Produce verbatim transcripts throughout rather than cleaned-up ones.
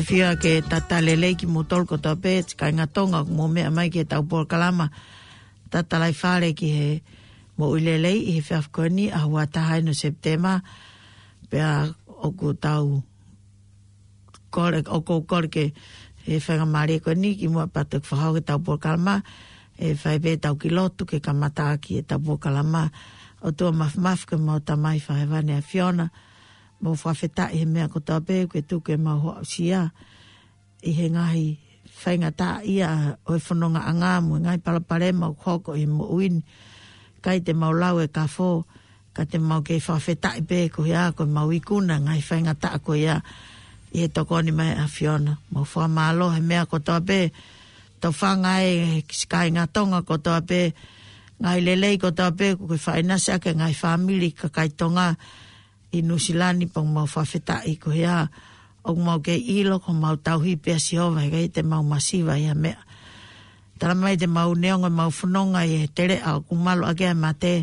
Fia ke tata lelei kimoutolu kotoa pē, kāinga Tonga, ʻoku mou meʻa mai ki heʻetau polokalama Tatalaifale ki he Moʻui Lelei ʻi he efiafi ko eni, ʻaho ua taha eni ʻo Sepitema, pea ʻoku tau kole, ʻoku ou kole ke, ʻi he faingamālie ko eni, kimuʻa pea tau fakahoko ʻetau polokalama, ʻe fai pē ʻetau kiʻi lotu ke kamata ʻaki ʻetau polokalama. ʻOtua Māfimafi, ko homau Tamai fakahēvani ʻa e ʻAfiona, mau fakafetaʻi he meʻa kotoa pē kuo ke tuku ke mau aʻusia ʻi he ngaahi faingataʻaʻia ʻo e fonongaʻanga mo e ngaahi palopalema ʻoku hoko ʻi he moʻui ni. ʻIkai te mau lau e kafo, ka te mau kei fakafetaʻi pē koeʻuhi ko ʻemau ikuna e ngaahi faingataʻa ko ia ʻi he tokoni mai ʻa e ʻAfiona. Mau fakamālō he meʻa kotoa pē, tau fanga e kāinga Tonga kotoa pē, ngaahi lelei kotoa pē kuo ke faʻa ʻinasi ʻaki e ngaahi fāmili kakai Tonga ʻi Nuʻusila ni, pea mau fakafetaʻi koeʻuhi ʻoku mau kei ʻilo ko homau tauhi pē ʻa Sihova, heʻikai te mau masiva ʻi ha meʻa. Tala mai te mau neongo ʻemau fononga ʻi he teleʻa ʻoku malu ʻaki ʻa e mate,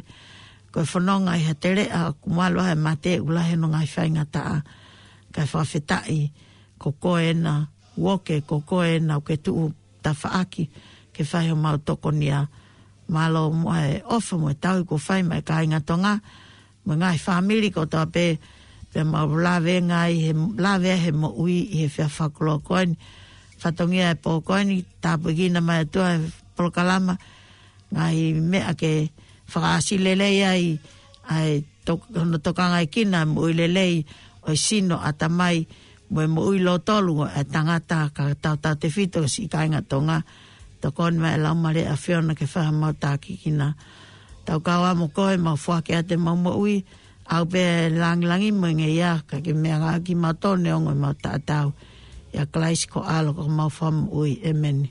ko e fononga ʻi ha teleʻa ʻoku malu ʻaki ʻa e mate, ʻoku lahi hono ngaahi faingataʻa. Kae fakafetaʻi ko koe ena uoke, ko koe ena ʻoku ke tuʻu tafaʻaki ke fai homau tokonia. Mālō muʻa e ʻofa mo e tauhi kuo fai maʻa e kāinga Tonga mo e ngaahi fāmili kotoa pē, pea mau lave ngaahi he, lave he moʻui ʻi he efiafi fakakoloa ko eni. Fatongia e pō ko eni, tāpuekina mai ʻe he ʻOtua e polokalama, ngaahi meʻa ke fakaʻasi lelei ai ʻa e tok-, hono tokangaekina e moʻui lelei ʻo e sino, ʻatamai mo e moʻui lōtolu ʻo e tangata, kae tautautefito siʻi kāinga Tonga. Tokoni mai e Laumālie ʻo e ʻAfiona ke fai homau tākiekina. Tau kau ā mo koe, mau foaki atu ʻemau moʻui, ʻaʻau pē e langilangi mo e ngeia, kae ke meʻangāueʻaki kimautolu neongo ʻemau taʻataʻa. ʻIa Kalaisi ko ho ʻAlo ko homau Fakamoʻui. ʻĒmeni.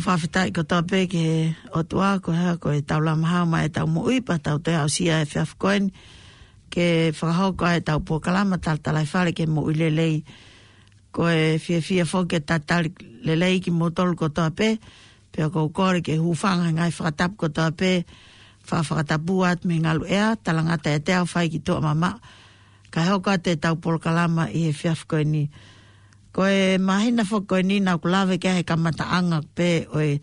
Fakafetaʻi kotoa pē ki he ʻOtua, ko e hā, ko e tau lama hau mai e tau moʻui pea tau toe aʻusia e efiafi ko eni ke fakahoko ai e tau polokalama talatalaifale ki he moʻui lelei. Ko e fiefia foki ke talitali lelei kimoutolu kotoa pē, pea ʻoku ou kole ke hūfanga he ngaahi fakatapu kotoa pē, fa-, fakatapu atu mei he ngalu ʻea, talangata e teau fai ki tuʻa mamaʻo, kae hoko atu e tau polokalama ʻi he efiafi ko eni. Ko e māhina foki ko eni naʻa ku lave ki ai he kamataʻanga pē ʻo e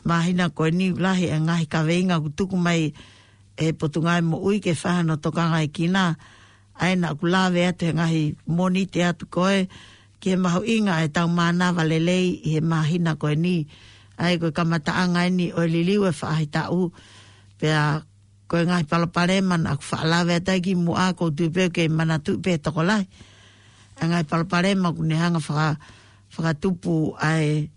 māhina ko eni, lahi e ngaahi kaveinga ʻoku tuku mai ʻe he Potungāue Moʻui ke fai hano tokangaʻi kinaua. ʻA ia naʻa ku lave atu he ngaahi Mōnite atu ko ē ki he mahuʻinga e tau mānava lelei ʻi he māhina ko eni. ʻA ia ko e kamataʻanga eni ʻo e liliu e faʻahitaʻu, pea ko e ngaahi palopalema naʻa ku faʻa lave atu ai kimuʻa, ʻoku ou tui pē ʻoku kei manatuʻi pē ʻe he tokolahi ʻa e ngaahi palopalema ʻoku ne hanga faka-, fakatupu ai,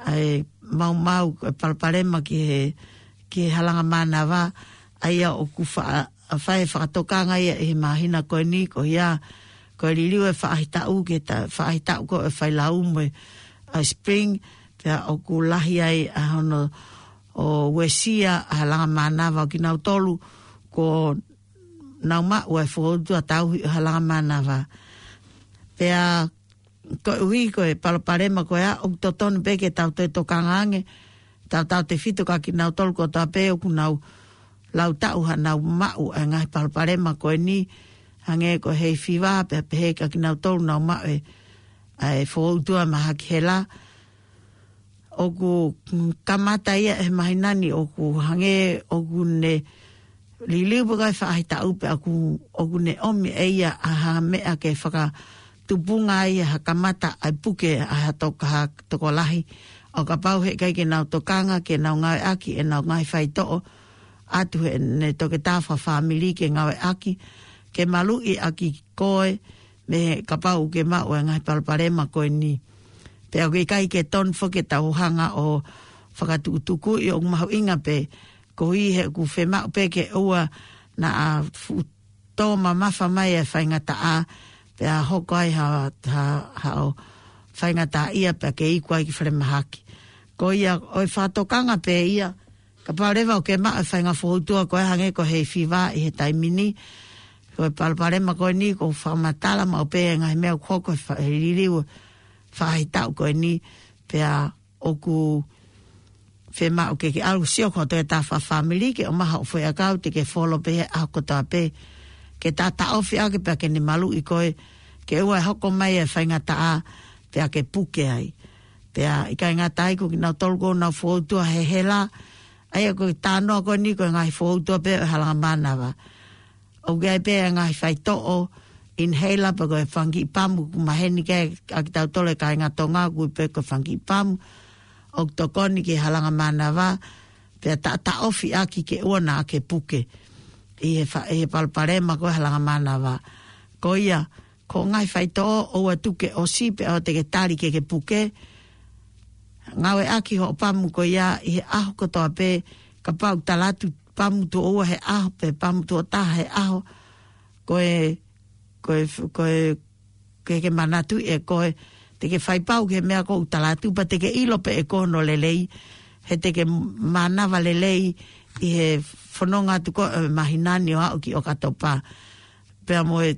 ʻa e maumau, ko e palopalema ki he, ki he halanga mānava. ʻA ia ʻoku faʻa-, fai e fakatokanga ia ʻi he māhina ko eni, ko ia, ko e liliu e faʻahitaʻu ki he ta-, faʻahitaʻu ko e failau mo e, ʻa e spring, pea ʻoku lahi ai ʻa hono ʻo uesia ʻa e halanga mānava ʻo kinautolu kuo nau maʻu e fokoutua tauhi ʻo e halanga mānava. Pea koeʻuhi ko e palopalema ko ia, ʻoku totonu pē ke tau toe tokanga ange, tautautefito kia kinautolu kotoa pē ʻoku nau lau taʻu hanau maʻu ʻa e ngaahi palopalema ko eni, hangē ko e hay fever, pea pehē kia kinautolu naʻa nau maʻu e, ʻa e fokoutua mahaki hela. ʻOku kamata ia he māhina ni, ʻoku hangē ʻoku ne liliu pē ko e faʻahitaʻu pea ʻoku, ʻoku ne ʻomi ʻe ia ʻa ha meʻa ke fakatupunga ai ha kamata ʻa e puke ʻa ha tok-, ha tokolahi. ʻO kapau he ʻikai ke nau tokanga, ke nau ngāueʻaki ʻenau ngaahi faitoʻo, ʻatu heʻene toketā fakafāmili ke ngāueʻaki, ke maluʻi ʻaki koe, mei he kapau ʻoku ke maʻu e ngaahi palopalema ko eni. Pea ʻoku ʻikai ke tonu foki ke tau hanga ʻo fakatukutukuʻi, ʻoku mahuʻinga pē, koeʻuhi he ʻoku fiemaʻu pē ke ʻoua naʻa fuʻu tō mamafa mai e faingataʻa, pea hoko ai ha, ha, haʻo faingataʻaʻia pea ke iku ai ki falemahaki. Ko ia, ʻoku fakatokanga pē ia, kapau leva ʻoku ke maʻu e faʻahinga fokoutua ko ē hangē ko e hay fever ʻi he taimi ni, ko e palopalema ko eni, ʻoku fakamatala maʻu pē e ngaahi meʻa ʻoku hoko he fa-, he liliu faʻahitaʻu ko eni, pea ʻoku fiemaʻu ke ke ʻalu ʻo sio ki ho toketā fakafāmili ke ʻomai haʻo foʻiʻakau te ke folo pē he ʻaho kotoa pē, ke taʻataʻofi ʻaki pea ke ne maluʻi koe, ke ʻoua ʻe hoko mai e faingataʻa pea ke puke ai. Pea ʻikai ngata ai, ko kinautolu ʻoku nau fokoutua he hela, ʻa ia ko e talanoa ko eni ko e ngaahi fokoutua pē ʻo e halanga mānava. ʻOku ʻi ai pē e ngaahi faitoʻo, inhaler, pe ko e fanga kiʻi pamu ʻoku maheni ki ai ʻa kitautolu e kāinga Tonga, ʻoku ui pē ko e fanga kiʻi pamu, ʻoku tokoni ki he halanga mānava, pea taʻataʻofi ʻaki ke ʻoua naʻa ke puke ʻi he fa-, ʻi he palopalema ko e halanga mānava. Ko ia, ko e ngaahi faitoʻo, ʻoua tuku ke ʻosi pea ʻoua te ke tali ke ke puke. Ngāueʻaki hoʻo pamu ko ia ʻi he ʻaho kotoa pē, kapau ʻoku tala atu pamu tuʻo ua he ʻaho, pe pamu tuʻo taha he ʻaho, ko e, ko e, ko e, ke ke manatuʻi ʻe koe, te ke fai pau ki he meʻa ʻoku tala atu, pea te ke ʻilo pē ʻe koe hono lelei, he te ke mānava lelei ʻi he fononga atu ko ē ʻo e māhina ni ʻo aʻu ki ʻOkatopa. Pea mo e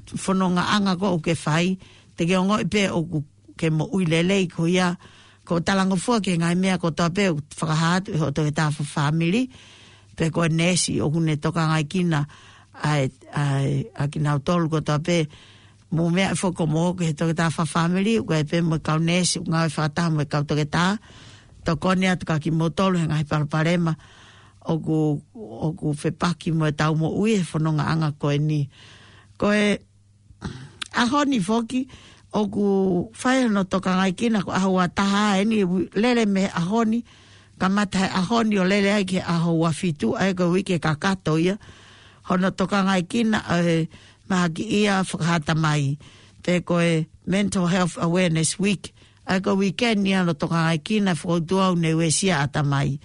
fonongaʻanga ko ē ʻoku ke fai, te ke ongoʻi pē ʻoku ke moʻui lelei. Ko ia, ko e talangofua ki he ngaahi meʻa kotoa pē ʻoku fakahā atu ʻe hoʻo toketā fakafāmili, pe ko e neesi ʻoku ne tokangaʻi kinaua ʻa e, ʻa e, ʻa kinautolu kotoa pē. Mou meaʻi foki ʻo mou ō ki he toketā fakafāmili, ʻoku ʻi ai pē mo e kau neesi ʻoku ngāue fakataha mo e kau toketā, tokoni atu kia kimoutolu he ngaahi palopalema ʻoku, ʻoku fepaki mo e tau moʻui he fonongaʻanga ko eni. Ko e ʻaho ni foki ʻoku fai hono tokangaʻi kinaua, ko e ʻaho ua taha eni, ʻoku lele mei he ʻaho ni, kamata he ʻaho ni ʻo lele ai ki he ʻaho ua fitu, ʻa ia ko e uike kakato ia, hono tokangaʻi kinaua ʻo e mahakiʻia fakahatamai, pe ko e Mental Health Awareness Week. ʻA ia ko e uike ni ʻa hono tokangaʻi kinaua e fokoutua ʻoku ne uesia ʻatamai.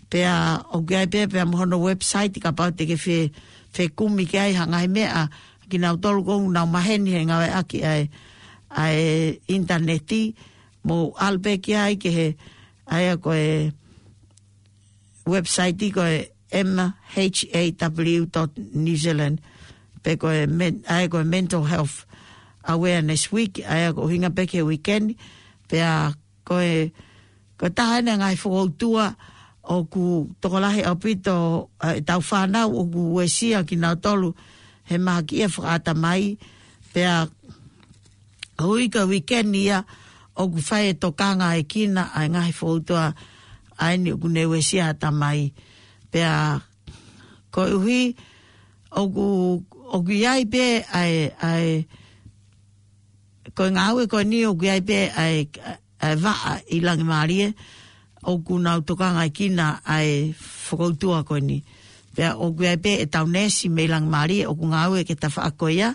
Pea ʻoku ʻi ai pē, pea mo hono website, kapau te ke fe-, fekumi ki ai ha ngaahi meʻa, kinautolu ʻoku nau maheni he ngāueʻaki ʻa e, ʻa e ʻinitaneti, mou ʻalu pē ki ai ki he, ʻa ia ko e website ko e M H A W dot New Zealand, pe ko e men-, ʻa ia ko e mental health awareness week, ʻa ia ko e ʻuhinga pē ki he weekend, pea ko e, ko e taha eni e ngaahi fokoutua ʻoku tokolahi ʻaupito, ʻa, ʻetau fānau ʻoku uesia kinautolu he mahaki ia fakaʻatamai, pea ʻoku ʻi ai ko e weekend ia ʻoku fai e tokangaʻekina ʻa e ngaahi fokoutua ʻa eni ʻoku ne uesia ʻatamai. Pea koeʻuhi ʻoku, ʻoku ʻi ai pē ʻa e, ʻa e, ko e ngāue ko eni ʻoku ʻi ai pē ʻa e, ʻa e vaʻa ʻi Langimālie ʻoku nau tokangaʻekina ʻa e fokoutua ko eni. Pea ʻoku ʻi ai pē ʻetau neesi mei Langimālie ʻoku ngāue ki he tafaʻaki ko ia,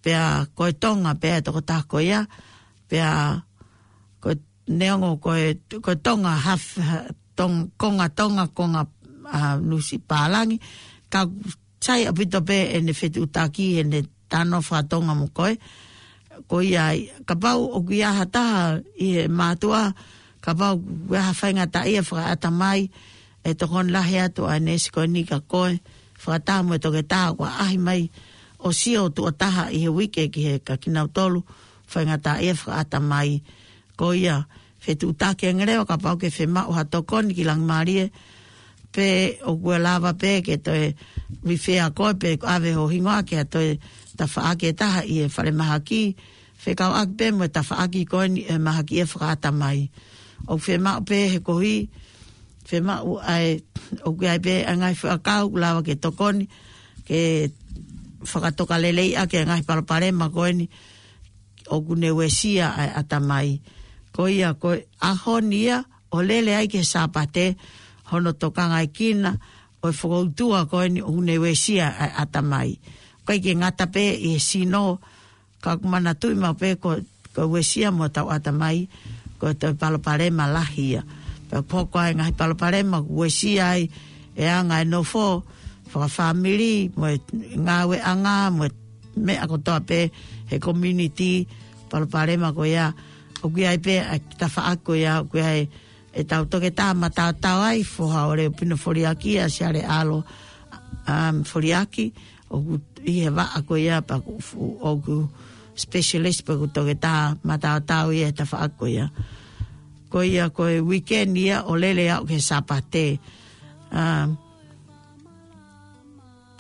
pea ko e Tonga pē ʻa e tokotaha ko ia, pea ko e neongo ko e, ko e Tonga haf-, ha-, tong-, konga Tonga, konga, ʻa, Nuʻusila pālangi, ka sai ʻaupito pē ʻene fetuʻutaki, ʻene talanoa faka-Tonga mo koe. Ko ia ai, kapau ʻoku ʻi ai ha taha ʻi he mātuʻa, kapau ʻoku ʻi ai ha faingataʻaʻia fakaʻatamai, ʻe tokoni lahi atu ʻa e neesi ko eni kia koe, fakataha mo e toketā ʻoku ʻaʻahi mai ʻo sio tuʻo taha ʻi he uike ki he kia kinautolu faingataʻaʻia fakaʻatamai. Ko ia, fetuʻutaki ange leva kapau ʻoku ke fiemaʻu ha tokoni ki Langimālie, pe ʻoku lava pē ke toe refer koe pe ʻave ho hingoa ki ha toe tafaʻaki ʻe taha ʻi he falemahaki, fekauʻaki pē mo e tafaʻaki ko eni ʻe mahaki ia fakaʻatamai. ʻOku fiemaʻu pē he koeʻuhi, fiemaʻu ʻa e, ʻoku ʻi ai pē ʻa e ngaahi fakakaukau ʻoku lava ke tokoni, ke fakatokalelei ʻaki ʻa e ngaahi palopalema ko eni ʻoku ne uesia ʻa e ʻatamai. Ko ia, ko e ʻaho ni ia ʻoku lele ai ki he Sāpate hono tokangaʻekina ʻo e fokoutua ko eni ʻoku ne uesia ʻa e ʻatamai. ʻOku ʻikai ke ngata pē ʻi he sino, ka ʻoku manatuʻi maʻu pē ko, ko e uesia mo hotau ʻatamai, ko e toe palopalema lahi ia. Pea ʻoku hoko ai e ngaahi palopalema ʻoku uesia ai e anga e nofo, fakafāmili, mo e ngāueʻanga, mo e meʻa kotoa pē he community, palopalema ko ia, ʻoku ʻi ai pē ʻa e tafaʻaki ko ia, ʻoku ʻi ai ʻetau toketā mataotao ai, Foha ʻo Leupino Foliaki, ʻa Siale ʻAlo, um, Foliaki, ʻoku ʻi he vaʻa ko ia pea ʻoku fu-, ʻoku specialist pea ʻoku toketā mataotao ia he tafaʻaki ko ia. Ko ia ko e weekend ia ʻoku lele ʻo aʻu ki he Sāpate. Um,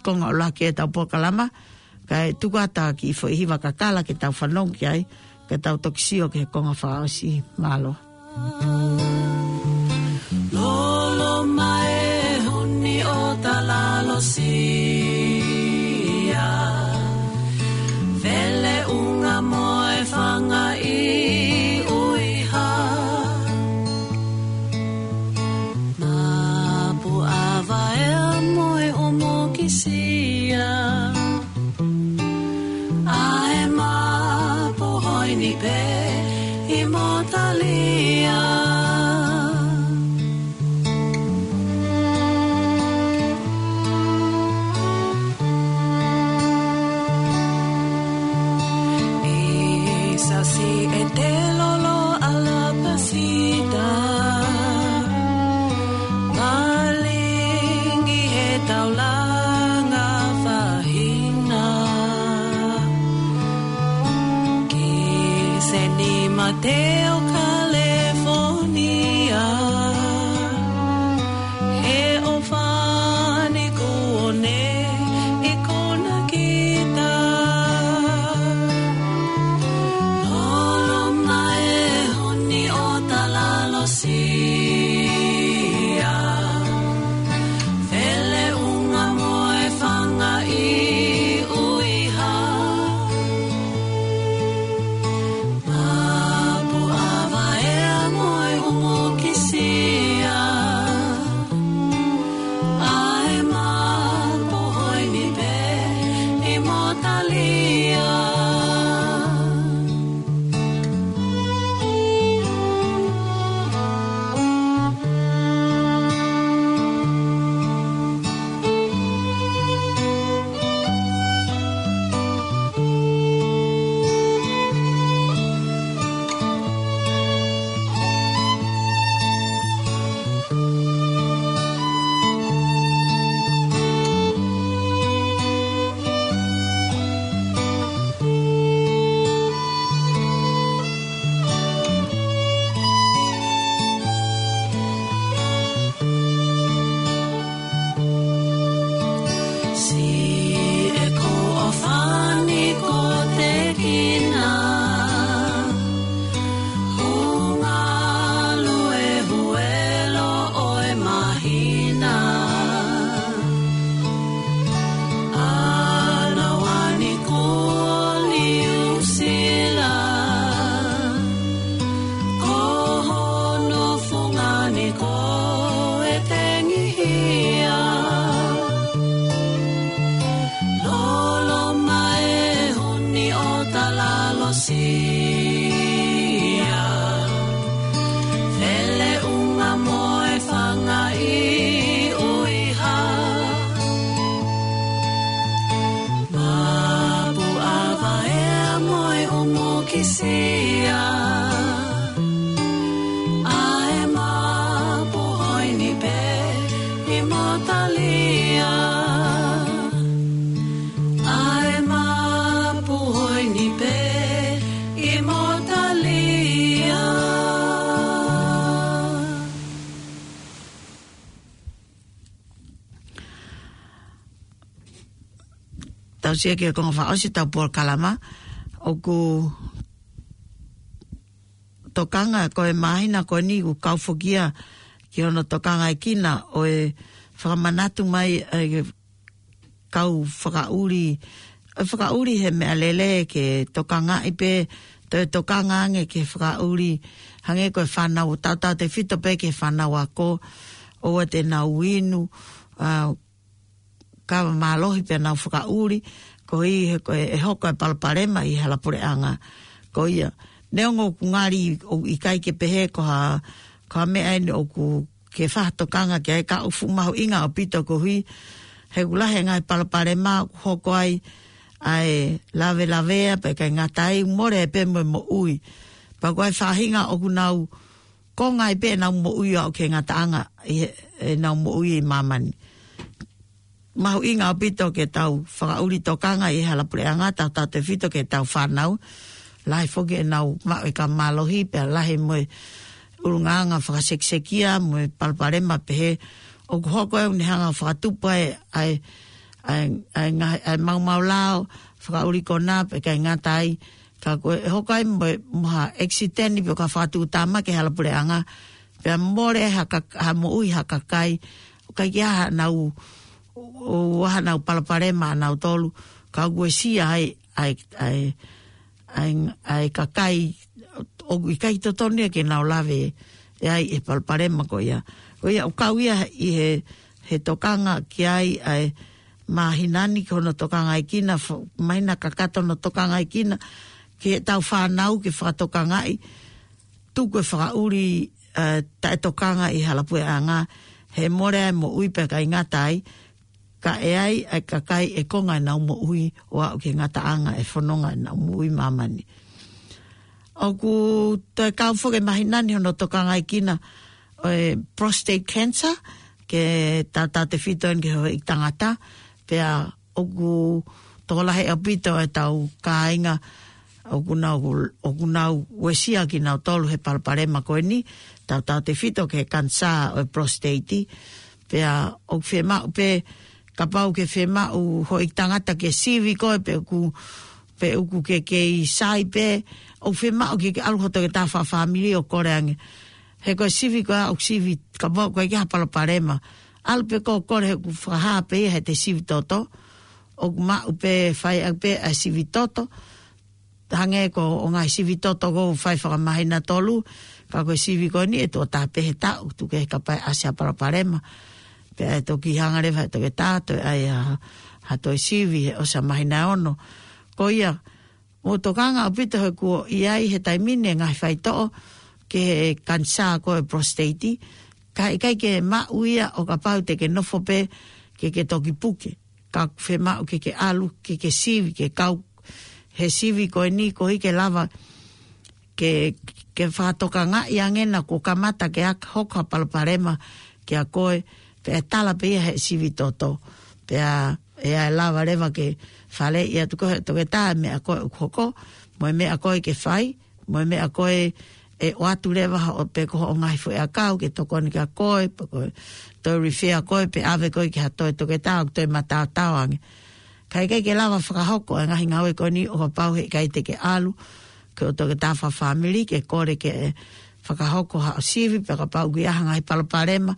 konga ʻuluaki ʻetau polokalama, kae tuku atu ha kiʻi foʻi hiva kakala ke tau fanongo ki ai, ke tau toki sio ki he konga fakaʻosi. Mālō. Lolo mai huni ʻo Talalosia, Feleʻunga mo e Fanga ʻi ʻUiha. Mapu ʻa Vaea mo e ʻUmukisia, ʻa e mapu hoini pē ʻi Motalia. ʻI Sasi e te lolo ʻa Lapasita, malingi he taulanga fahina. Ki Seni Mateo, California, he ʻofani kuo ne ʻi Kunakita. Lolo mai huni ʻo Talalosia, Feleʻunga mo e Fanga ʻi ʻUiha. Mapu ʻa Siʻeku ʻofani ko Tekina, hunga lue huelo ʻo e māhina. ʻAna wani ko Niu Sila, ko hono fungani ko e tengihia. Lolo mai huni ʻo talalosia, fele unga mo e fanga ʻi ʻuiha. Mapu ʻava ea mo e umu kisia, ʻa e mapu hoini pē ʻi Motalia. ʻA e mapu hoini pē ʻi Motalia. Tau sio ki he konga fakaʻosi ʻetau polokalama, ʻoku tokanga ko e māhina ko eni ʻoku kau foki ia ki hono tokangaʻi kinaua ʻo e fakamanatu mai ʻa e kau fakaʻuli, ʻo e fakaʻuli he meʻalele ke tokangaʻi pē, toe tokanga ange ke fakaʻuli, hangē ko e fānau, tautautefito pē ki he fānau ako, ʻoua te nau inu, ʻa, kava mālohi pē ʻenau fakaʻuli, koeʻuhi he ko e, ʻe hoko e palopalema ʻi he hala puleʻanga. Ko ia, neongo ʻoku ngali ʻoku ʻikai ke pehē ko ha, ko ha meʻa eni ʻoku ke fakatokanga ki ai, ka ʻoku fuʻu mahuʻinga ʻaupito koeʻuhi he ʻoku lahi e ngaahi palopalema ʻoku hoko ai ʻa e lavelavea pea ʻikai ngata ai, mole pē mo e moʻui. Pea ko e faʻahinga ʻoku nau konga ai pē ʻenau moʻui ʻo aʻu ki he ngataʻanga ʻi he, ʻenau moʻui ʻi māmani. Mahuʻinga ʻaupito ke tau fakaʻuli tokanga ʻi he hala puleʻanga, tautautefito ki heʻetau fānau. Lahi foki ʻenau maʻu e kava mālohi, pea lahi mo e ʻulungaanga fakasekisekia mo e palopalema pehē. ʻOku hoko ʻe ʻoku ne hanga ʻo fakatupu ai ʻa e, ʻa e, ʻa e ngaahi, ʻa e maumau lao, fakaʻuli konā, pea ʻikai ngata ai, ka ko e hoko ai mo e, mo ha ʻekisiteni pe ko ha fakatuʻutāmaki he hala puleʻanga, pea mole ha ka-, ha moʻui ha kakai, ʻoku ʻikai ke ʻi ai haʻanau, ʻo, ʻo haʻanau palopalema ʻanautolu, ka ʻoku uesia ai ʻa e, ʻa e, ʻa e, ʻa e kakai ʻoku ʻikai totonu ia ke nau lave ʻe ai e palopalema ko ia. Ko ia ʻoku kau ia ʻi he, he tokanga ki ai ʻa e māhina ni ki hono tokangaʻi kinaua, fo-, māhina kakato hono tokangaʻi kinaua, ki heʻetau fānau ke fakatokangaʻi, tuku e fakaʻuli, ʻa, taʻetokanga ʻi hala puleʻanga, he mole ai moʻui pea ʻikai ngata ai, ka ʻe ai ʻa e kakai ʻe konga ʻenau moʻui ʻo aʻu ki he ngataʻanga ʻe fononga ʻenau moʻui ʻi māmani. ʻOku toe kau foki e māhina ni hono tokangaʻi kinaua ʻo e prostate cancer, ke tautautefito eni ki he houʻeiki tangata, pea ʻoku tokolahi ʻaupito ʻetau kāinga ʻoku nau, ʻoku nau uesia kinautolu he palopalema ko eni, tautautefito ki he kanisā ʻo e prostate. Pea ʻoku fiemaʻu pē, kapau ʻoku ke fiemaʻu houʻeiki tangata ke sivi koe pe ʻoku, pe ʻoku ke kei sai pē, ʻoku fiemaʻu ke ke ʻalu ki ho toketā fakafāmili ʻo kole ange. He ko e sivi ko ia ʻoku sivi, kapau ʻoku ʻikai ke ʻi ai ha palopalema, ʻalu pē koe ʻo kole he ʻoku fakahā pē ia heʻete sivi toto. ʻOku maʻu pē, fai ʻaki pē ʻa e sivi toto. Hangē ko e ngaahi sivi toto ʻoku fai fakamāhina tolu, ka ko e sivi ko eni ʻe tuʻo taha pē he taʻu, tuku kehe kapau ʻe ʻasi ha palopalema. Pea ʻe toki hanga leva he toketā ʻo toe ʻai ha, ha toe sivi he ʻosi e māhina ʻe ono. Ko ia, mou tokanga ʻaupito he kuo ʻi ai he taimi ni e ngaahi faitoʻo ki he kanisā ko e prostate, ka ʻikai ke maʻu ia ʻo kapau te ke nofo pē ke ke toki puke. Ka ʻoku fiemaʻu ke ke ʻalu, ke ke sivi, ke kau he sivi ko eni koeʻuhi ke lava ke, ke fakatokangaʻi ange naʻa kuo kamata ke ʻai hoko ha palopalema kiate koe, pea ʻe tala pē ia he sivi toto. Pea ʻe ʻai lava leva ke faleʻi atu koe he toketā e meʻa ko ē ʻoku hoko, mo e meʻa ko ē ke fai, mo e meʻa ko ē ʻe ʻoatu leva hoʻo pe ko hoʻo ngaahi foʻi ʻakau ke tokoni kia koe, pe ko e toe refer koe, pe ʻave koe ki ha toe toketā ʻoku toe mataotao ange. Ka ʻikai ke lava fakahoko e ngaahi ngāue ko eni ʻo kapau heʻikai te ke ʻalu ki hoʻo toketā fakafāmili ke kole ke fakahoko haʻo sivi, pe kapau ʻoku ʻi ai ha ngaahi palopalema,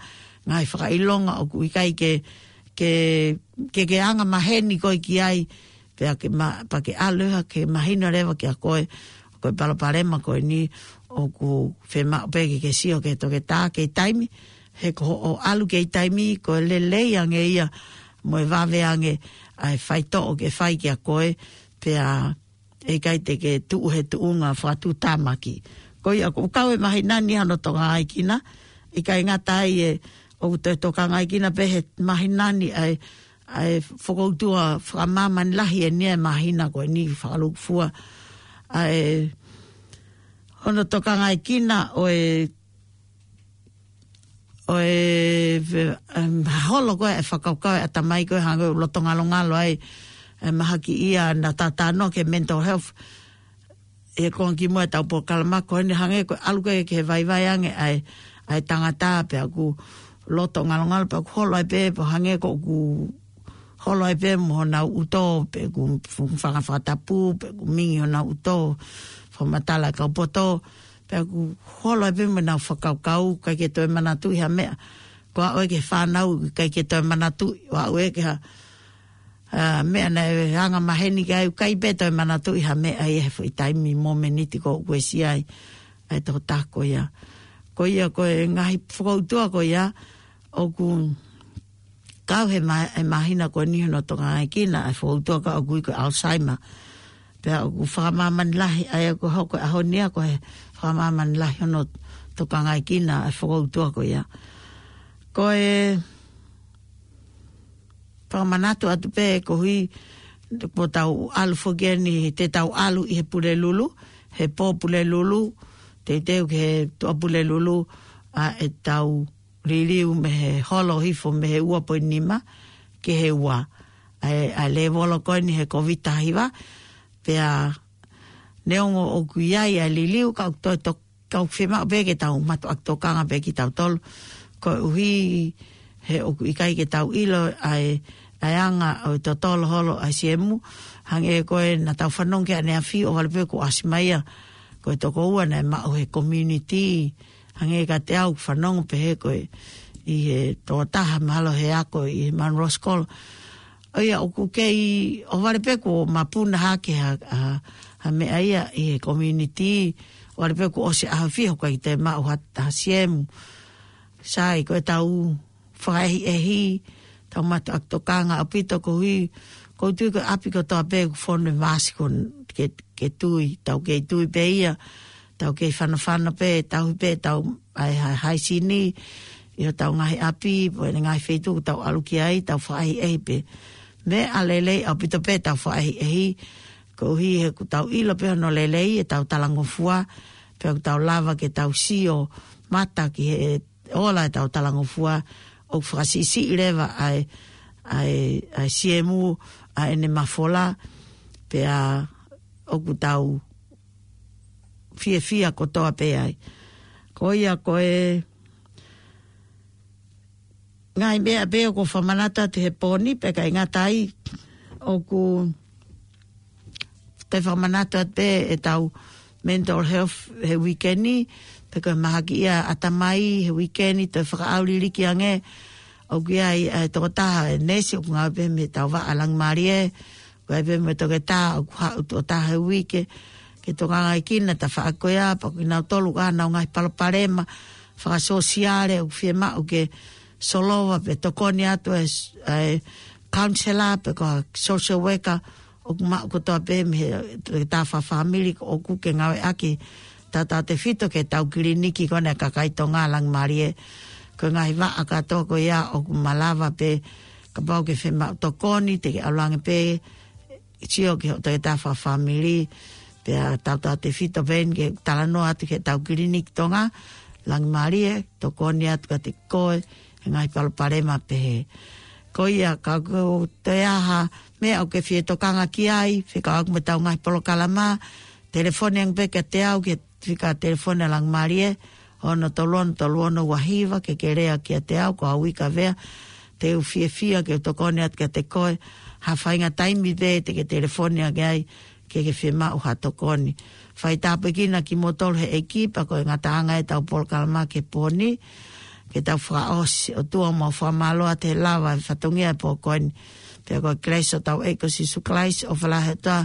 ngaahi fakaʻilonga ʻoku ʻikai ke, ke, ke, ke anga maheni koe ki ai, pea ke ma-, pea ke ʻalu ia ke mahino leva kia koe, ko e palopalema ko eni ʻoku fiemaʻu pē ke ke sio ki he toketā kei taimi, he ko hoʻo ʻalu kei taimi, ko e lelei ange ia, mo e vave ange ʻa e faitoʻo ke fai kia koe, pea ʻikai te ke tuʻu he tuʻunga fakatuʻutāmaki. Ko ia ʻoku kau e māhina ni hono tokangaekina, ʻikai ngata ai ē, ʻoku toe tokangaekina pē he māhina ni ʻa e, ʻa e fokoutua fakamāmani lahi eni e māhina ko eni fakalūkufua. ʻA e, hono tokangaekina ʻo e, ʻo e, ve-, em, holo ko ē e fakakaukau e ʻatamai ko ē hangē ʻoku loto ngalongalo ai, e mahaki ia naʻa ta talanoa ki he mental health. ʻI he konga kimuʻa ʻetau polokalama ko eni hangē ko e ʻalu ko ē ki he vaivai ange ʻa e, ʻa e tangata pea ʻoku loto ngalongalo pea ʻoku holo ai pē, pea hangē ko ʻoku holo ai pē mo honau ʻuto, pe ʻoku fanga fakatapu, pe ʻoku mingi honau ʻuto, fakamatala e kau poto, pea ʻoku holo ai pē mo ʻenau fakakaukau, ʻikai ke toe manatuʻi ha meʻa. Ko e aʻu ē ki he fānau, ʻikai ke toe manatuʻi, ʻo aʻu ē ki ha, ʻa, meʻa naʻe anga maheni ki ai, ʻikai pē toe manatuʻi ha meʻa ia he foʻi taimi mo e miniti ko ē ʻoku uesia ai ʻa e tokotaha ko ia. Ko ia ko e ngaahi fokoutua ko ia, ʻoku kau he mā-, he māhina ko eni hono tokangaekina e fokoutua ka ʻoku ui ko e Alzheimer. Pea ʻoku fakamāmani lahi, ʻa ia ko e hoko e ʻaho ni ia ko e fakamāmani lahi hono tokangaekina e fokoutua ko ia. Ko e fakamanatu atu pē koeʻuhi, kuo tau ʻalu foki eni, te tau ʻalu ʻi he Pulelulu, he pō Pulelulu, teuteu ki he Tuʻapulelulu, ʻa ʻetau liliu mei he holo hifo mei he ua poini nima ki he ua. ʻA e, ʻa e lēvolo ko eni he Kōviti taha hiva, pea neongo ʻoku ʻi ai ʻa e liliu ka ʻoku toe tok-, ka ʻoku fiemaʻu pē ke tau mātuʻaki tokanga pē kitautolu. Koeʻuhi he ʻoku ʻikai ke tau ʻilo ʻa e, ʻa e anga ʻo e totolo holo ʻa e siemu, hangē ko ē naʻa tau fanongo ki ai ʻaneafi ʻohovale pē kuo ʻasi mai ia, ko e toko ua naʻe maʻu he community, hangē kiate au fanongo pehē ko e ʻi he tokotaha mahalo he ako ʻi he Munro School. ʻA ia ʻoku kei ʻohovale pē kuo mapuna hake ha, ha, ha meʻa ia ʻi he community, ʻohovale pē kuo ʻosi ʻaho fiha ʻoku ʻikai te maʻu ha, ha siemu. Sai, ko ʻetau fakaʻehiʻehi, tau mātuʻaki tokanga ʻaupito koeʻuhi, ʻoku ou tui ko e ʻapi kotoa pē ʻoku fonu e mask ko ē ke, ke tui, tau kei tui pē ia, tau kei fanofano pē, tauhi pē ʻetau ʻa e ha-, haisini, ʻi hotau ngaahi ʻapi, pe ngaahi feituʻu ʻoku tau ʻalu ki ai, tau fakaʻehiʻehi pē. Meʻa lelei ʻaupito pē ʻetau fakaʻehiʻehi, koeʻuhi he ʻoku tau ʻilo pē hono lelei ʻetau talangofua, pea ʻoku tau lava ke tau sio mata ki he ola ʻetau talangofua, ʻoku fakasiʻisiʻi leva ʻa e, ʻa e, ʻa e siemu, ʻa ʻene mafola, pea ʻoku tau fiefia kotoa pē ai. Ko ia ko e ngaahi meʻa pē ʻoku fakamanatu atu he pō ni, pea ʻikai ngata ai ʻoku toe fakamanatu atu pē ʻetau mental health he uike ni, pe ko e mahaki ia ʻatamai he uike ni, toe fakaʻauliliki ange, ʻoku ʻi ai ʻa e tokotaha e neesi ʻoku ngāue pē mei he tau vaʻa Langimālie, ʻoku ʻi ai pē mo e toketā ʻoku haʻu tuʻo taha he uike, ke tokangaekina e tafaʻaki ko ia, pea ko kinautolu ʻoku ʻi ai honau ngaahi palopalema fakasōsiale, ʻoku fiemaʻu ke solova pe tokoni atu e s-, e counselor pe ko e social worker, ʻoku maʻu kotoa pē mei he toketā fakafāmili ʻoku ke ngāueʻaki tautautefito ki heʻetau kiliniki ko ena ʻa e kakai Tonga Langimālie. Ko e ngaahi vaʻa kātoa ko ia ʻoku malava pē kapau ʻoku ke fiemaʻu tokoni, te ke ʻalu ange pē, sio ki hoʻo toketā fakafāmili, pea tautautefito pē eni ke talanoa atu ki heʻetau kiliniki Tonga Langimālie, tokoni atu kiate koe he ngaahi palopalema pehē. Ko ia ka ʻoku toe ʻi ai ha meʻa ʻoku ke fie tokanga ki ai, fekauʻaki mo ʻetau ngaahi polokalama, telefoni ange pē kiate au ki he fika telefoni ʻa Langimalie, ono tolu ono tolu ono ua hiva, ke ke lea kiate au, ko au Ika Vea, te u fiefia ke u tokoni atu kiate koe, ha faʻahinga taimi pē te ke telefoni ange ai, ke ke fiemaʻu ha tokoni. Fai tāpuekina kimoutolu he ʻEiki, pea ko e ngataʻanga ʻetau polokalama ki he pō ni, ke tau fakaʻosi, ʻOtua mau fakamālō atu he lava e fatongia e pō ko eni. Pea ko e kelesi ʻa hotau ʻEiki ko Sīsū Kalaisi, ʻofa lahi ʻa e ʻOtua,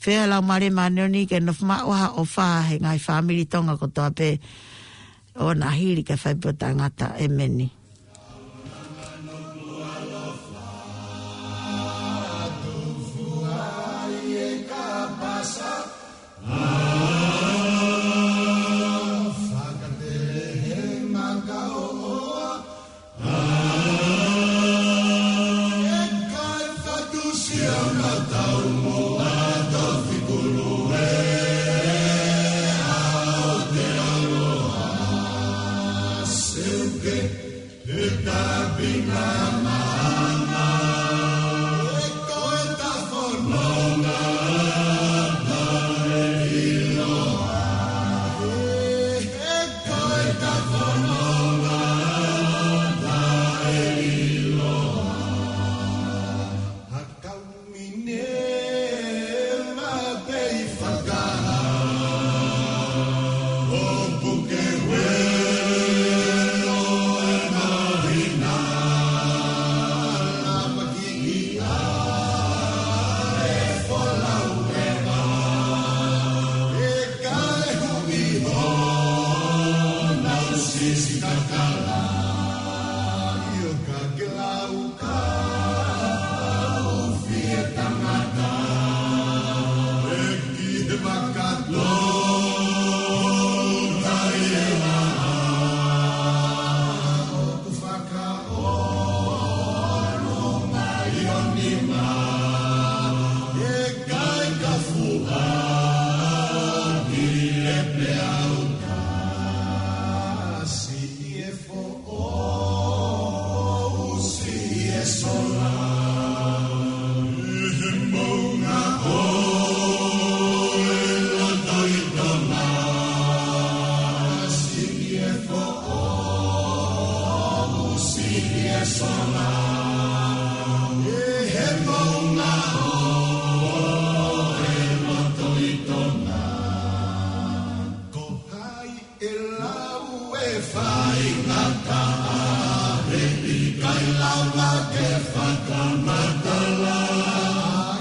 feohi ʻa e Laumālie Māʻoniʻoni ke nofo maʻu ʻa e ʻofa he ngaahi fāmili Tonga kotoa pē ʻo na hili ke fai pē ʻo taʻengata. ʻEmeni.